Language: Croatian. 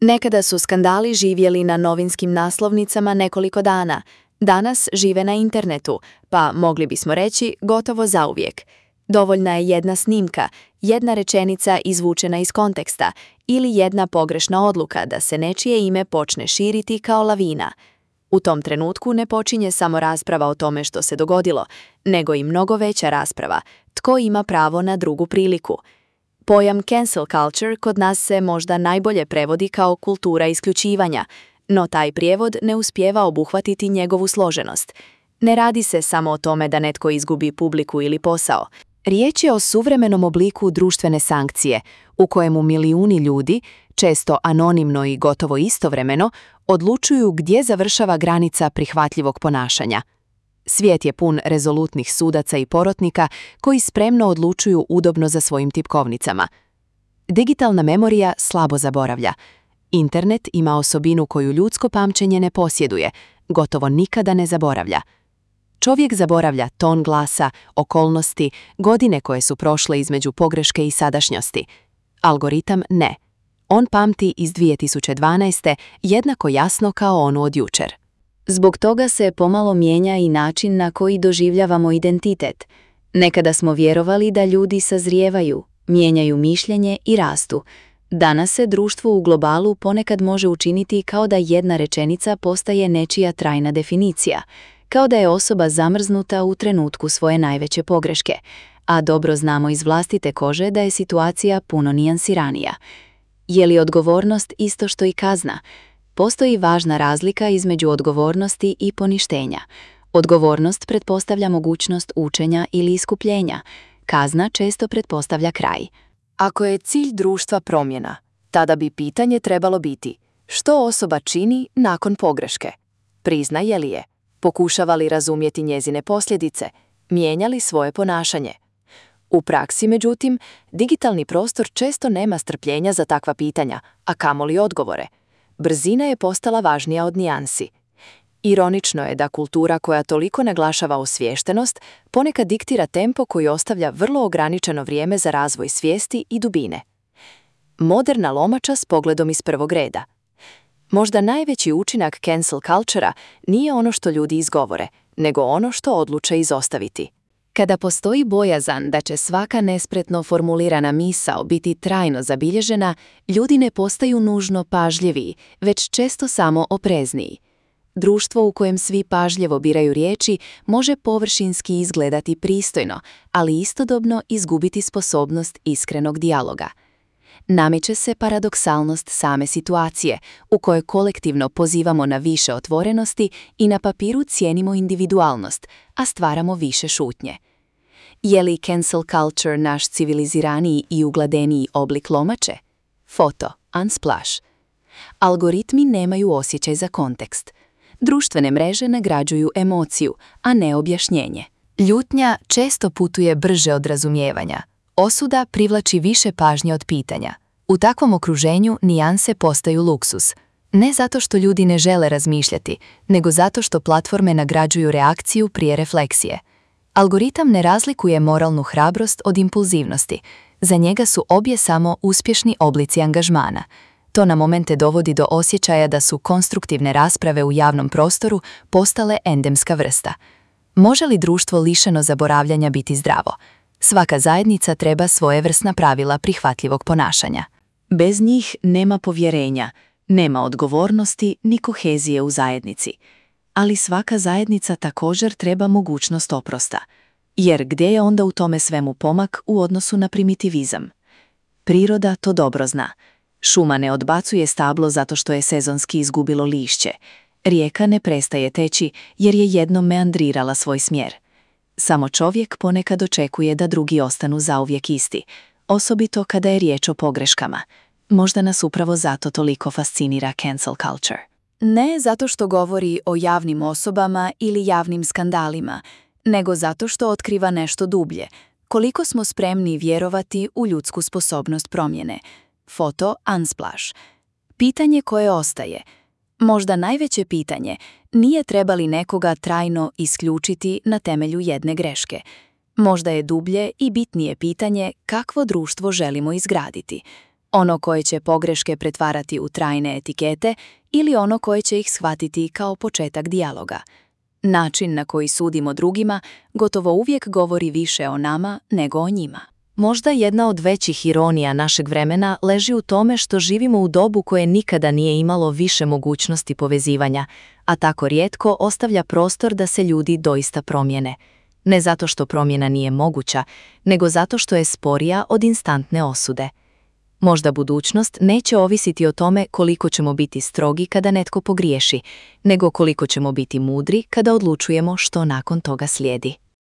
Nekada su skandali živjeli na novinskim naslovnicama nekoliko dana, danas žive na internetu, pa mogli bismo reći gotovo zauvijek. Dovoljna je jedna snimka, jedna rečenica izvučena iz konteksta ili jedna pogrešna odluka da se nečije ime počne širiti kao lavina. U tom trenutku ne počinje samo rasprava o tome što se dogodilo, nego i mnogo veća rasprava, tko ima pravo na drugu priliku. Pojam cancel culture kod nas se možda najbolje prevodi kao kultura isključivanja, no taj prijevod ne uspijeva obuhvatiti njegovu složenost. Ne radi se samo o tome da netko izgubi publiku ili posao. Riječ je o suvremenom obliku društvene sankcije, u kojemu milijuni ljudi, često anonimno i gotovo istovremeno, odlučuju gdje završava granica prihvatljivog ponašanja. Svijet je pun rezolutnih sudaca i porotnika koji spremno odlučuju udobno za svojim tipkovnicama. Digitalna memorija slabo zaboravlja. Internet ima osobinu koju ljudsko pamćenje ne posjeduje, gotovo nikada ne zaboravlja. Čovjek zaboravlja ton glasa, okolnosti, godine koje su prošle između pogreške i sadašnjosti. Algoritam ne. On pamti iz 2012. jednako jasno kao onu od jučer. Zbog toga se pomalo mijenja i način na koji doživljavamo identitet. Nekada smo vjerovali da ljudi sazrijevaju, mijenjaju mišljenje i rastu. Danas se društvo u globalu ponekad može učiniti kao da jedna rečenica postaje nečija trajna definicija, kao da je osoba zamrznuta u trenutku svoje najveće pogreške, a dobro znamo iz vlastite kože da je situacija puno nijansiranija. Je li odgovornost isto što i kazna? Postoji važna razlika između odgovornosti i poništenja. Odgovornost pretpostavlja mogućnost učenja ili iskupljenja. Kazna često pretpostavlja kraj. Ako je cilj društva promjena, tada bi pitanje trebalo biti što osoba čini nakon pogreške. Priznaje li je? Pokušava li razumjeti njezine posljedice? Mijenja li svoje ponašanje? U praksi, međutim, digitalni prostor često nema strpljenja za takva pitanja, a kamoli odgovore. Brzina je postala važnija od nijansi. Ironično je da kultura koja toliko naglašava osviještenost ponekad diktira tempo koji ostavlja vrlo ograničeno vrijeme za razvoj svijesti i dubine. Moderna lomača s pogledom iz prvog reda. Možda najveći učinak cancel culture-a nije ono što ljudi izgovore, nego ono što odluče izostaviti. Kada postoji bojazan da će svaka nespretno formulirana misao biti trajno zabilježena, ljudi ne postaju nužno pažljiviji, već često samo oprezniji. Društvo u kojem svi pažljivo biraju riječi može površinski izgledati pristojno, ali istodobno izgubiti sposobnost iskrenog dijaloga. Nameće se paradoksalnost same situacije, u kojoj kolektivno pozivamo na više otvorenosti i na papiru cijenimo individualnost, a stvaramo više šutnje. Je li cancel culture naš civiliziraniji i ugladeniji oblik lomače? Foto, unsplash. Algoritmi nemaju osjećaj za kontekst. Društvene mreže nagrađuju emociju, a ne objašnjenje. Ljutnja često putuje brže od razumijevanja. Osuda privlači više pažnje od pitanja. U takvom okruženju nijanse postaju luksuz. Ne zato što ljudi ne žele razmišljati, nego zato što platforme nagrađuju reakciju prije refleksije. Algoritam ne razlikuje moralnu hrabrost od impulzivnosti. Za njega su obje samo uspješni oblici angažmana. To na momente dovodi do osjećaja da su konstruktivne rasprave u javnom prostoru postale endemska vrsta. Može li društvo lišeno zaboravljanja biti zdravo? Svaka zajednica treba svojevrsna pravila prihvatljivog ponašanja. Bez njih nema povjerenja, nema odgovornosti ni kohezije u zajednici. Ali svaka zajednica također treba mogućnost oprosta. Jer gdje je onda u tome svemu pomak u odnosu na primitivizam? Priroda to dobro zna. Šuma ne odbacuje stablo zato što je sezonski izgubilo lišće. Rijeka ne prestaje teći jer je jednom meandrirala svoj smjer. Samo čovjek ponekad očekuje da drugi ostanu zauvijek isti, osobito kada je riječ o pogreškama. Možda nas upravo zato toliko fascinira cancel culture. Ne zato što govori o javnim osobama ili javnim skandalima, nego zato što otkriva nešto dublje. Koliko smo spremni vjerovati u ljudsku sposobnost promjene. Foto, unsplash. Pitanje koje ostaje. Možda najveće pitanje, nije treba li nekoga trajno isključiti na temelju jedne greške. Možda je dublje i bitnije pitanje kakvo društvo želimo izgraditi. Ono koje će pogreške pretvarati u trajne etikete ili ono koje će ih shvatiti kao početak dijaloga. Način na koji sudimo drugima gotovo uvijek govori više o nama nego o njima. Možda jedna od većih ironija našeg vremena leži u tome što živimo u dobu koje nikada nije imalo više mogućnosti povezivanja, a tako rijetko ostavlja prostor da se ljudi doista promijene. Ne zato što promjena nije moguća, nego zato što je sporija od instantne osude. Možda budućnost neće ovisiti o tome koliko ćemo biti strogi kada netko pogriješi, nego koliko ćemo biti mudri kada odlučujemo što nakon toga slijedi.